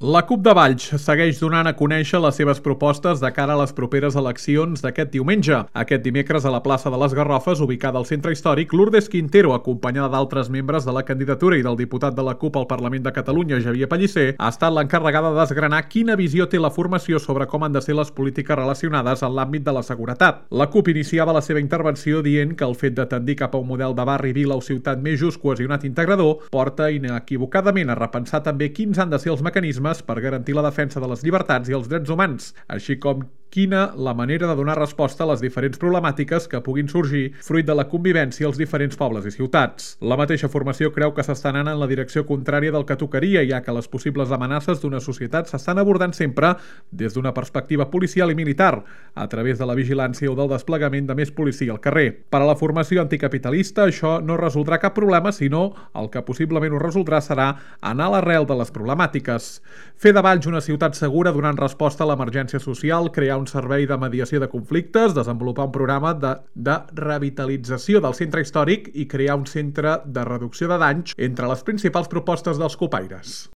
La CUP de Valls segueix donant a conèixer les seves propostes de cara a les properes eleccions d'aquest diumenge. Aquest dimecres, a la plaça de les Garrofes, ubicada al centre històric, Lourdes Quintero, acompanyada d'altres membres de la candidatura i del diputat de la CUP al Parlament de Catalunya, Xavier Pellicer, ha estat l'encarregada de desgranar quina visió té la formació sobre com han de ser les polítiques relacionades en l'àmbit de la seguretat. La CUP iniciava la seva intervenció dient que el fet de tendir cap a un model de barri, vila o ciutat més just, cohesionat i integrador porta inequivocadament a repensar també quins han de ser els mecanismes per garantir la defensa de les llibertats i els drets humans, així com quina la manera de donar resposta a les diferents problemàtiques que puguin sorgir fruit de la convivència als diferents pobles i ciutats. La mateixa formació creu que s'està anant en la direcció contrària del que tocaria, ja que les possibles amenaces d'una societat s'estan abordant sempre des d'una perspectiva policial i militar, a través de la vigilància o del desplegament de més policia al carrer. Per a la formació anticapitalista, això no resoldrà cap problema, sinó el que possiblement ho resoldrà serà anar a l'arrel de les problemàtiques. Fer de Valls una ciutat segura donant resposta a l'emergència social, crear un servei de mediació de conflictes, desenvolupar un programa de revitalització del centre històric i crear un centre de reducció de danys entre les principals propostes dels copaires.